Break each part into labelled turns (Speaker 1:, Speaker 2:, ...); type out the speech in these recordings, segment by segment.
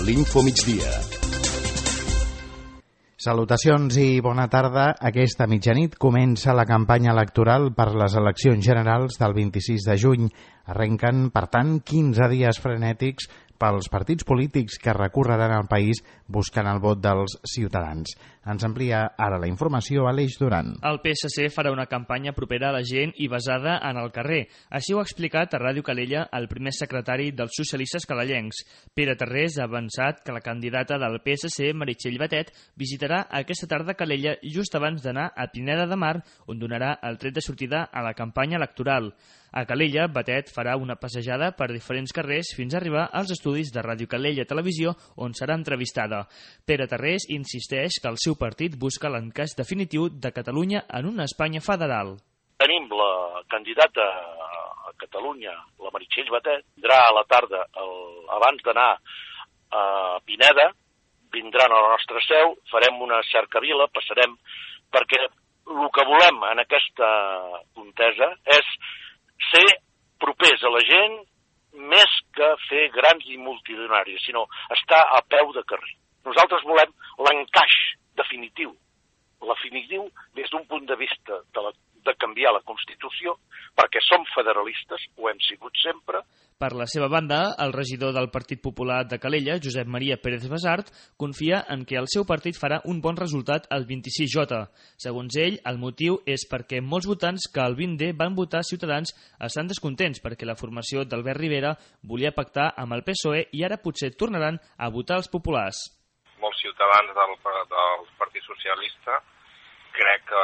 Speaker 1: l'Info Migdia.
Speaker 2: Salutacions i bona tarda. Aquesta mitjanit comença la campanya electoral per les eleccions generals del 26 de juny. Arrenquen, per tant, 15 dies frenètics pels partits polítics que recorreran el país buscant el vot dels ciutadans. Ens amplia ara la informació Aleix Duran.
Speaker 3: El PSC farà una campanya propera a la gent i basada en el carrer. Així ho ha explicat a Ràdio Calella el primer secretari dels socialistes calellencs. Pere Tarrés ha avançat que la candidata del PSC, Meritxell Batet, visitarà aquesta tarda Calella just abans d'anar a Pineda de Mar, on donarà el tret de sortida a la campanya electoral. A Calella, Batet farà una passejada per diferents carrers fins a arribar als estudis de Ràdio Calella Televisió, on serà entrevistada. Pere Tarrés insisteix que el seu partit busca l'encaix definitiu de Catalunya en una Espanya federal.
Speaker 4: Tenim la candidata a Catalunya, la Meritxell Batet, vindrà a la tarda, abans d'anar a Pineda, vindran a la nostra seu, farem una cercavila, passarem, perquè el que volem en aquesta contesa és ser propers a la gent més que fer grans i multitudinaris, sinó estar a peu de carrer. Nosaltres volem l'encaix definitiu, des d'un punt de vista de canviar la Constitució, perquè som federalistes, ho hem sigut sempre.
Speaker 3: Per la seva banda, el regidor del Partit Popular de Calella, Josep Maria Pérez Basart, confia en que el seu partit farà un bon resultat al 26J. Segons ell, el motiu és perquè molts votants que el 20D van votar Ciutadans estan descontents perquè la formació d'Albert Rivera volia pactar amb el PSOE i ara potser tornaran a votar els populars.
Speaker 5: Molts ciutadans del Partit Socialista crec que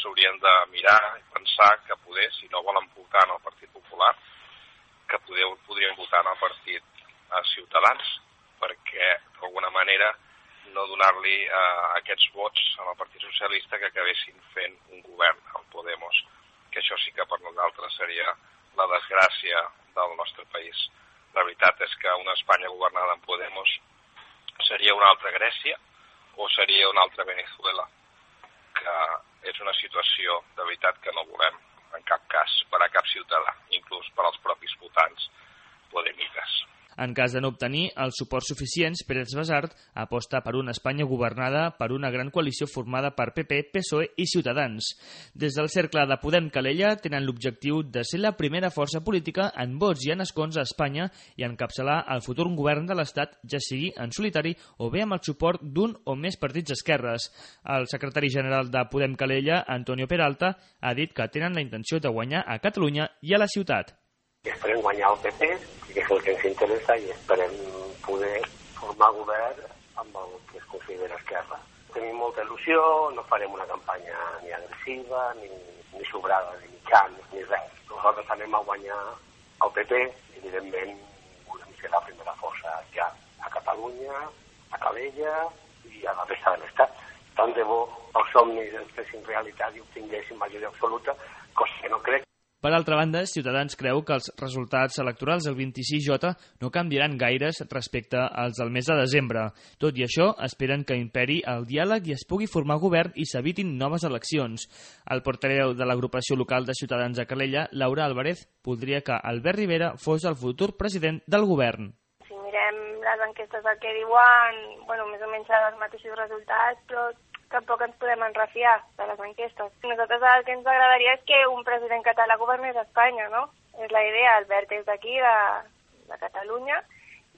Speaker 5: s'haurien de mirar i pensar que poder, si no volen votar en el Partit Popular, que podrien votar en el Partit Ciutadans, perquè d'alguna manera no donar-li aquests vots al Partit Socialista que acabessin fent un govern al Podemos, que això sí que per nosaltres seria la desgràcia del nostre país. La veritat és que una Espanya governada en Podemos seria una altra Grècia o seria una altra Venezuela, que és una situació de veritat que no volem en cap cas per a cap ciutadà, inclús per als propis votants podemites.
Speaker 3: En cas de no obtenir els suports suficients, Pérez Basart aposta per una Espanya governada per una gran coalició formada per PP, PSOE i Ciutadans. Des del cercle de Podem Calella tenen l'objectiu de ser la primera força política en vots i en escons a Espanya i encapçalar el futur govern de l'Estat, ja sigui en solitari o bé amb el suport d'un o més partits d'esquerres. El secretari general de Podem Calella, Antonio Peralta, ha dit que tenen la intenció de guanyar a Catalunya i a la ciutat.
Speaker 6: Esperem guanyar el PP, que és el que ens interessa, i esperem poder formar govern amb el que es considera esquerra. Tenim molta il·lusió, no farem una campanya ni agressiva, ni sobrada, ni mitjans, ni res. Nosaltres anem a guanyar el PP i, evidentment, volem ser la primera força ja a Catalunya, a Calella i a la resta de l'Estat. Tant de bo els somnis ens fessin realitat i obtinguéssim majoria absoluta, cosa que no crec.
Speaker 3: Per altra banda, Ciutadans creu que els resultats electorals del 26J no canviaran gaires respecte als del mes de desembre. Tot i això, esperen que imperi el diàleg i es pugui formar govern i s'evitin noves eleccions. El portaveu de l'agrupació local de Ciutadans a Calella, Laura Álvarez, voldria que Albert Rivera fos el futur president del govern.
Speaker 7: Si mirem les enquestes del que diuen, més o menys els mateixos resultats, però tampoc ens podem enrefiar de les enquestes. Nosaltres el que ens agradaria és que un president català governés a Espanya, no? És la idea, Albert és d'aquí, de Catalunya,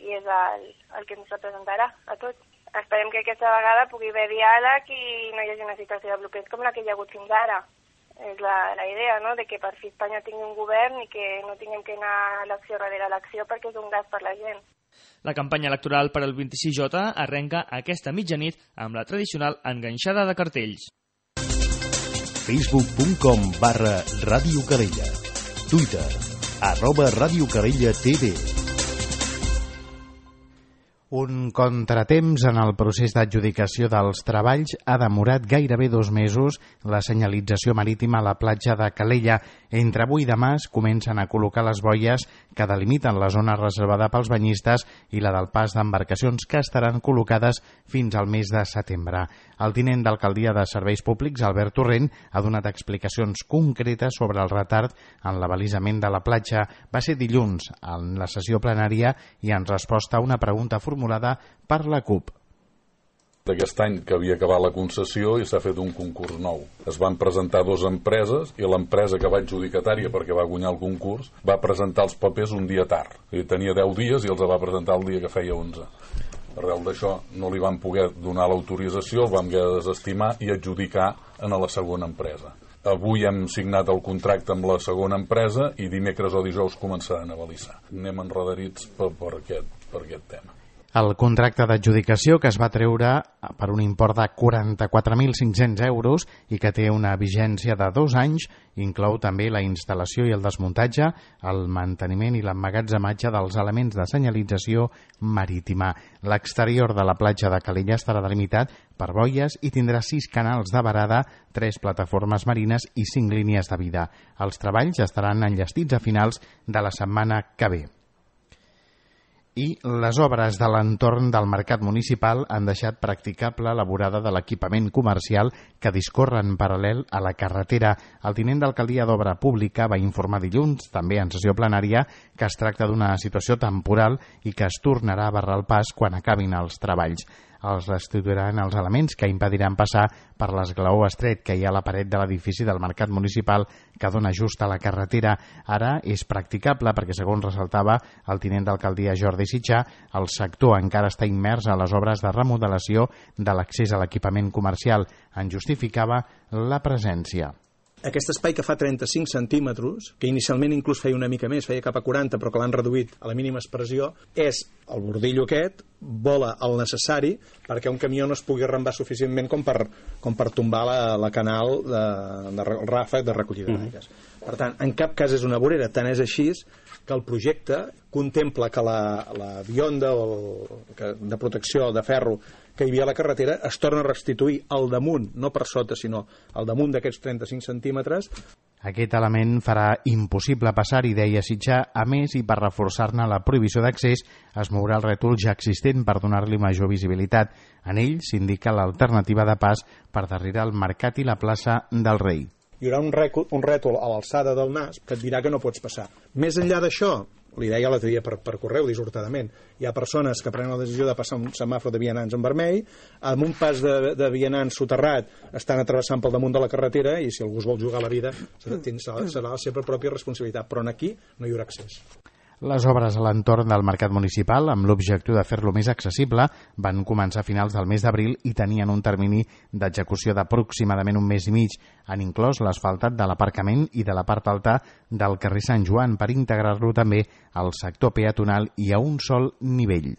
Speaker 7: i és el que ens representarà a tots. Esperem que aquesta vegada pugui haver diàleg i no hi hagi una situació de bloqueig com la que hi ha hagut fins ara. És la idea, no?, de que per fi Espanya tingui un govern i que no tinguem que anar elecció darrere elecció perquè és un gas per la gent.
Speaker 3: La campanya electoral per al 26J arrenca aquesta mitjanit amb la tradicional enganxada de cartells.
Speaker 1: Facebook.com/Ràdio Calella. Twitter @Ràdio Calella TV.
Speaker 2: Un contratemps en el procés d'adjudicació dels treballs ha demorat gairebé 2 mesos la senyalització marítima a la platja de Calella. Entre avui i demà es comencen a col·locar les boies que delimiten la zona reservada pels banyistes i la del pas d'embarcacions, que estaran col·locades fins al mes de setembre. El tinent d'alcaldia de Serveis Públics, Albert Torrent, ha donat explicacions concretes sobre el retard en l'abalisament de la platja. Va ser dilluns en la sessió plenària i en resposta a una pregunta formular formulada per la CUP.
Speaker 8: D'aquest any que havia acabat la concessió i s'ha fet un concurs nou. Es van presentar 2 empreses i l'empresa que va adjudicatària perquè va guanyar el concurs va presentar els papers un dia tard. Tenia 10 dies i els va presentar el dia que feia 11. Arrel d'això no li van poder donar l'autorització, el vam haver de desestimar i adjudicar a la segona empresa. Avui hem signat el contracte amb la segona empresa i dimecres o dijous començaran a balissar. Anem enredarits per aquest tema.
Speaker 2: El contracte d'adjudicació, que es va treure per un import de 44.500 euros i que té una vigència de 2 anys, inclou també la instal·lació i el desmuntatge, el manteniment i l'emmagatzematge dels elements de senyalització marítima. L'exterior de la platja de Calella estarà delimitat per boies i tindrà 6 canals de varada, 3 plataformes marines i 5 línies de vida. Els treballs estaran enllestits a finals de la setmana que ve. I les obres de l'entorn del mercat municipal han deixat practicable la vorada de l'equipament comercial que discorre en paral·lel a la carretera. El tinent d'alcaldia d'Obra Pública va informar dilluns, també en sessió plenària, que es tracta d'una situació temporal i que es tornarà a barrar el pas quan acabin els treballs. Els restituiran els elements que impediran passar per l'esglaó estret que hi ha a la paret de l'edifici del mercat municipal que dona just a la carretera. Ara és practicable perquè, segons ressaltava el tinent d'alcaldia Jordi Sitjà, el sector encara està immers a les obres de remodelació de l'accés a l'equipament comercial. En justificava la presència.
Speaker 9: Aquest espai que fa 35 centímetres, que inicialment inclús feia una mica més, feia cap a 40, però que l'han reduït a la mínima expressió, és el bordillo aquest, vola el necessari perquè un camió no es pugui arrambar suficientment com per tombar la canal de ràfec de recollida d'aigües. Per tant, en cap cas és una vorera, tant és així que el projecte contempla que la bionda de protecció de ferro que hi havia a la carretera es torna a restituir al damunt, no per sota, sinó al damunt d'aquests 35 centímetres.
Speaker 2: Aquest element farà impossible passar-hi, deia Sitjà. A més, i per reforçar-ne la prohibició d'accés, es mourà el rètol ja existent per donar-li major visibilitat. En ell s'indica l'alternativa de pas per darrere el mercat i la plaça del Rei.
Speaker 9: Hi haurà un rètol a l'alçada del nas que et dirà que no pots passar. Més enllà d'això, li deia l'altre dia per correu dissortadament, hi ha persones que prenen la decisió de passar un semàfor de vianants en vermell, amb un pas de vianants soterrat estan travessant pel damunt de la carretera i si algú es vol jugar la vida serà la seva pròpia responsabilitat, però aquí no hi haurà accés.
Speaker 2: Les obres a l'entorn del mercat municipal, amb l'objectiu de fer-lo més accessible, van començar a finals del mes d'abril i tenien un termini d'execució d'aproximadament un mes i mig. Han inclòs l'asfaltat de l'aparcament i de la part alta del carrer Sant Joan per integrar-lo també al sector peatonal i a un sol nivell.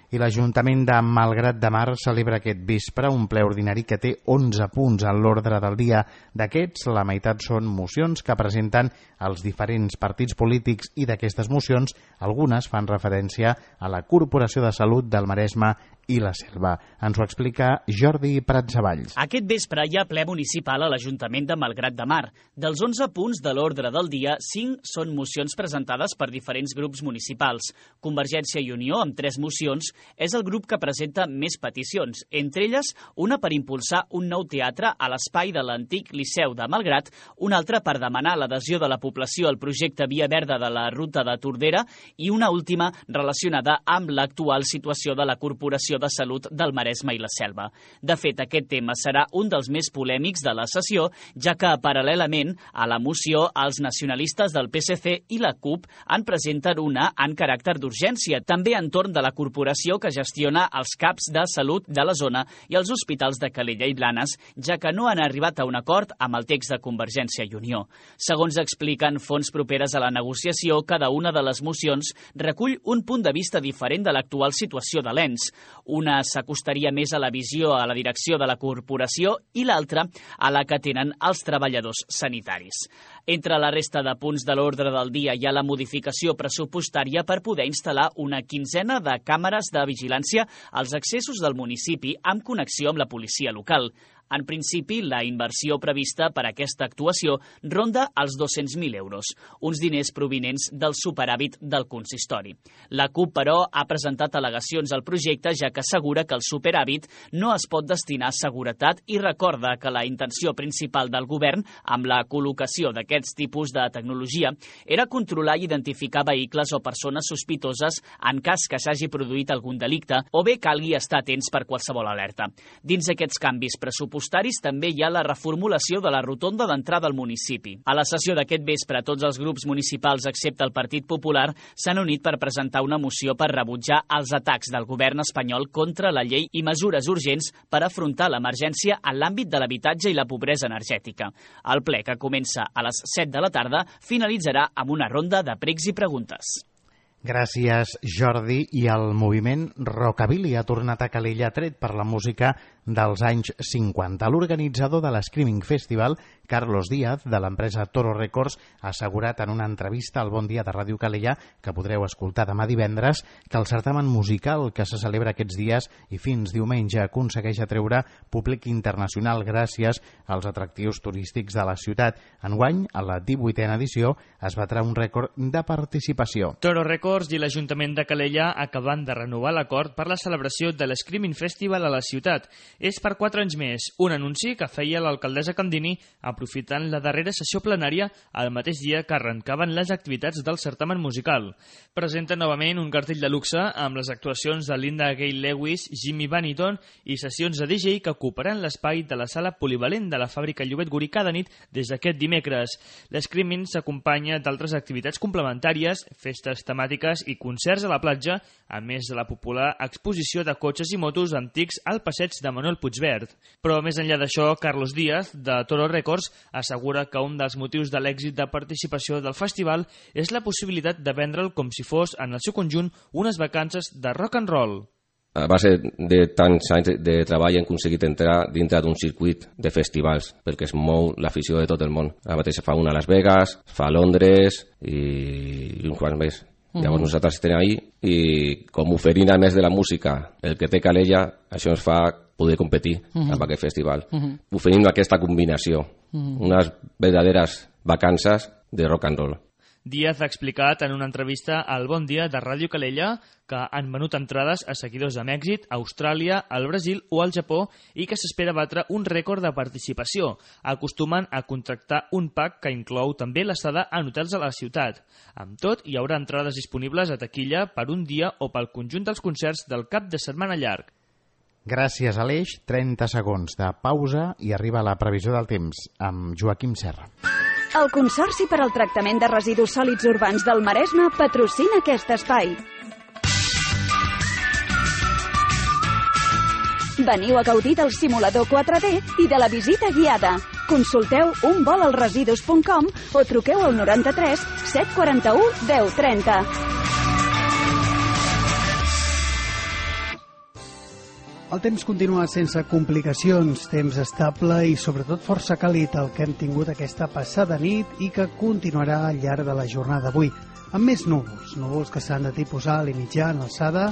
Speaker 2: I l'Ajuntament de Malgrat de Mar celebra aquest vespre un ple ordinari que té 11 punts en l'ordre del dia. D'aquests, la meitat són mocions que presenten els diferents partits polítics i d'aquestes mocions, algunes fan referència a la Corporació de Salut del Maresme i la Selva. Ens ho explica Jordi Pratsavalls.
Speaker 10: Aquest vespre hi ha ple municipal a l'Ajuntament de Malgrat de Mar. Dels 11 punts de l'ordre del dia, 5 són mocions presentades per diferents grups municipals. Convergència i Unió, amb 3 mocions, és el grup que presenta més peticions, entre elles una per impulsar un nou teatre a l'espai de l'antic Liceu de Malgrat, una altra per demanar l'adhesió de la població al projecte Via Verda de la Ruta de Tordera i una última relacionada amb l'actual situació de la Corporació de Salut del Maresme i la Selva. De fet, aquest tema serà un dels més polèmics de la sessió, ja que, paral·lelament a la moció, els nacionalistes del PSC i la CUP en presenten una en caràcter d'urgència, també entorn de la corporació que gestiona els CAPs de salut de la zona i els hospitals de Calella i Blanes, ja que no han arribat a un acord amb el text de Convergència i Unió. Segons expliquen fonts properes a la negociació, cada una de les mocions recull un punt de vista diferent de l'actual situació de l'ENS. Una s'acostaria més a la visió a la direcció de la corporació i l'altra a la que tenen els treballadors sanitaris. Entre la resta de punts de l'ordre del dia hi ha la modificació pressupostària per poder instal·lar una quinzena de càmeres de vigilància als accessos del municipi amb connexió amb la policia local. En principi, la inversió prevista per a aquesta actuació ronda els 200.000 euros, uns diners provinents del superàvit del consistori. La CUP, però, ha presentat al·legacions al projecte, ja que assegura que el superàvit no es pot destinar a seguretat i recorda que la intenció principal del govern amb la col·locació d'aquests tipus de tecnologia era controlar i identificar vehicles o persones sospitoses en cas que s'hagi produït algun delicte o bé calgui estar atents per qualsevol alerta. Dins aquests canvis pressupostaris també hi ha la reformulació de la rotonda d'entrada al municipi. A la sessió d'aquest vespre, tots els grups municipals, excepte el Partit Popular, s'han unit per presentar una moció per rebutjar els atacs del govern espanyol contra la llei i mesures urgents per afrontar l'emergència en l'àmbit de l'habitatge i la pobresa energètica. El ple, que comença a les 7 de la tarda, finalitzarà amb una ronda de pregs i preguntes.
Speaker 2: Gràcies, Jordi. I el moviment Rockabilly ha tornat a Calella, tret per la música dels anys 50. L'organitzador de l'Screaming Festival, Carlos Díaz, de l'empresa Toro Records, ha assegurat en una entrevista al Bon Dia de Ràdio Calella, que podreu escoltar demà divendres, que el certamen musical que se celebra aquests dies i fins diumenge aconsegueix atreure públic internacional gràcies als atractius turístics de la ciutat. Enguany, a la 18a edició, es batrà un rècord de participació.
Speaker 3: Toro Records i l'Ajuntament de Calella acaben de renovar l'acord per la celebració de l'Screaming Festival a la ciutat. És per 4 anys més, un anunci que feia l'alcaldessa Candini aprofitant la darrera sessió plenària el mateix dia que arrencaven les activitats del certamen musical. Presenta novament un cartell de luxe amb les actuacions de Linda Gay Lewis, Jimmy Vanniton i sessions de DJ que ocuparan l'espai de la sala polivalent de la fàbrica Llobet Gurí cada nit des d'aquest dimecres. L'Screaming s'acompanya d'altres activitats complementàries, festes temàtiques i concerts a la platja, a més de la popular exposició de cotxes i motos antics al passeig de Manuel Puigverd. Però més enllà d'això, Carlos Díaz, de Toro Records, assegura que un dels motius de l'èxit de participació del festival és la possibilitat de vendre'l com si fos, en el seu conjunt, unes vacances de rock and roll.
Speaker 11: A base de tants anys de treball hem aconseguit entrar dintre d'un circuit de festivals, perquè es mou l'afició de tot el món. Ara mateix fa una a Las Vegas, fa a Londres i uns quants més. Llavors nosaltres estem ahí i com oferint a més de la música el que té Calella, això ens fa poder competir amb aquest festival. Oferint aquesta combinació, unes verdaderes vacances de rock and roll.
Speaker 3: Díaz ha explicat en una entrevista al Bon Dia de Ràdio Calella que han venut entrades a seguidors a Mèxic, Austràlia, al Brasil o al Japó i que s'espera batre un rècord de participació. Acostumen a contractar un pack que inclou també l'estada en hotels a la ciutat. Amb tot, hi haurà entrades disponibles a taquilla per un dia o pel conjunt dels concerts del cap de setmana llarg.
Speaker 2: Gràcies, Aleix. 30 segons de pausa i arriba la previsió del temps amb Joaquim Serra.
Speaker 12: El Consorci per al Tractament de Residus Sòlids Urbans del Maresme patrocina aquest espai. Veniu a gaudir del simulador 4D i de la visita guiada. Consulteu unvolalresidus.com o truqueu al 93 741 1030.
Speaker 13: El temps continua sense complicacions, temps estable i sobretot força càlid el que hem tingut aquesta passada nit i que continuarà al llarg de la jornada d'avui, amb més núvols que s'han de tipus alt i mitjà en alçada,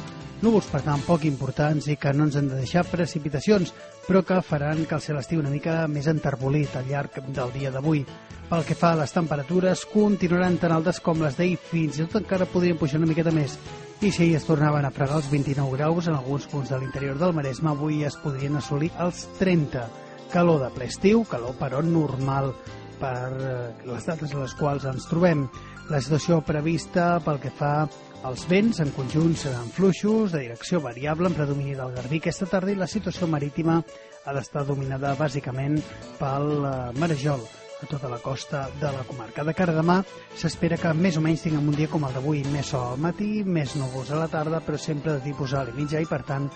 Speaker 13: núvols per tant poc importants i que no ens han de deixar precipitacions, però que faran que el cel estigui una mica més enterbolit al llarg del dia d'avui. Pel que fa a les temperatures, continuaran tan altes com les d'ahir, fins i tot encara podrien pujar una miqueta més. I si ahir es tornaven a fregar els 29 graus en alguns punts de l'interior del Maresme, avui es podrien assolir els 30. Calor de ple estiu, calor però normal per les dates a les quals ens trobem. La situació prevista pel que fa als vents en conjunt seran fluixos, de direcció variable, en predomini del Garbí aquesta tarda, i la situació marítima ha d'estar dominada bàsicament pel marejol a tota la costa de la comarca. De cara a demà s'espera que més o menys tinguem un dia com el d'avui, més sol al matí, més núvols a la tarda, però sempre de tipus alt i mitjà i per tant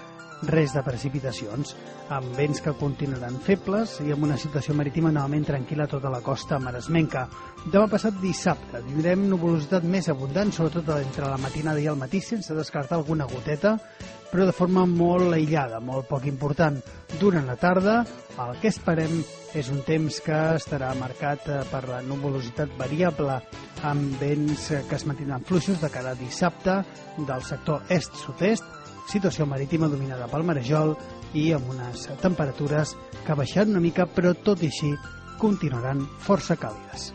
Speaker 13: res de precipitacions, amb vents que continuaran febles i amb una situació marítima novament tranquil·la a tota la costa maresmenca. Demà passat dissabte tindrem nuvolositat més abundant, sobretot entre la matinada i el matí, sense descartar alguna goteta, però de forma molt aïllada, molt poc important. Durant la tarda, el que esperem és un temps que estarà marcat per la nuvolositat variable, amb vents que es mantindran fluixos de cara a dissabte del sector est-sud-est, situació marítima dominada pel marejol i amb unes temperatures que ha baixat una mica, però tot i així continuaran força càlides.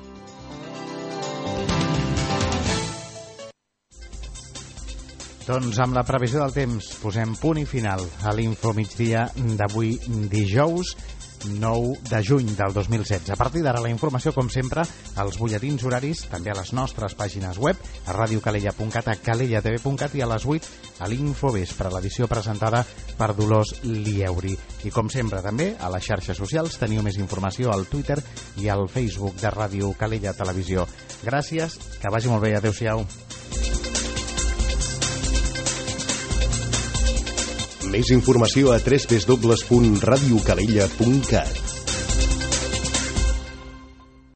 Speaker 2: Doncs amb la previsió del temps posem punt i final a l'Info Migdia d'avui dijous 9 de juny del 2016. A partir d'ara la informació, com sempre, als butlletins horaris, també a les nostres pàgines web, a radiocalella.cat, a calellatv.cat i a les 8 a l'Infovespre, l'edició presentada per Dolors Lieuri. I com sempre també a les xarxes socials teniu més informació al Twitter i al Facebook de Ràdio Calella Televisió. Gràcies, que vagi molt bé, adeu-siau.
Speaker 1: Més informació a www.radiocalella.cat.